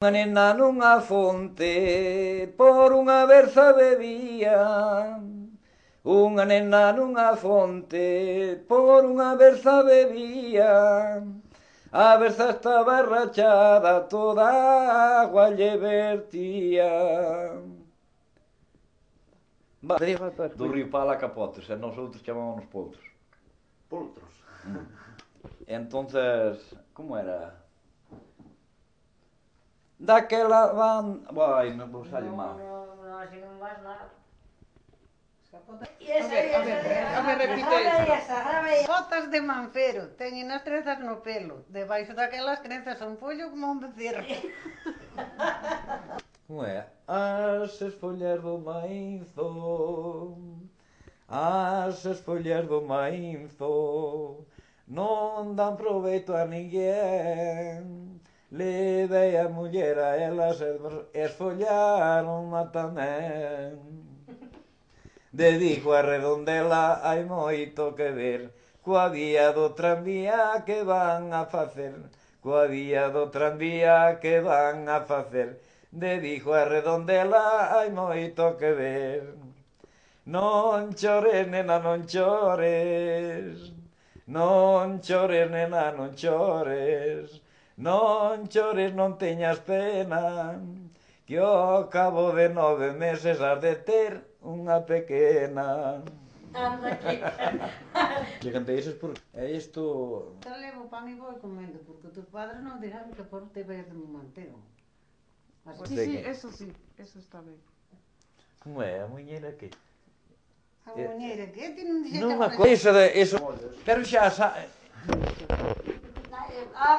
Unha nena nunha fonte por unha berza bebía. Unha nena nunha fonte por unha berza bebía. A berza estaba rachada, toda a agua lle vertía. Do río Pala a Capotes, e nós outros chamámonos poltros. Poltros. Entonces, como era? Daquela van... Vai, non vou salir mal. No, así non vas nada. A ver, repite esa. Botas de Manfero, teñen as trenzas no pelo. Debaixo daquelas trenzas un pollo como un becerro. Como é? As esfollas do maízo, as esfollas do maízo non dan proveito a ninguén. Levei a muller a elas e esfollaron-ma tamén. Dedico a Redondela hai moito que ver coa vía do tranvía que van a facer, coa vía do tranvía que van a facer. Dedico a Redondela hai moito que ver. Non chores, nena, non chores. Non chores, nena, non chores. Non chores, non teñas pena, que ao cabo de 9 meses has de ter unha pequena. Anda aquí. Que cantei iso por... É isto... Te levo pan e vou comendo, porque tus padres non dirán que por te ves de un mantero. Así. Sí, eso está ben. Como é? A muñeira que... A muñeira que ti non dixete Non me acordo. Iso de... Iso... Pero xa sa...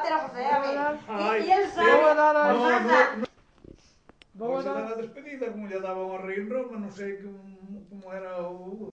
Pero José, a ver. E el sabe. Vou a dar a... Vou a dar a despedida, como lle daban ao rei en Roma, non sei como era o...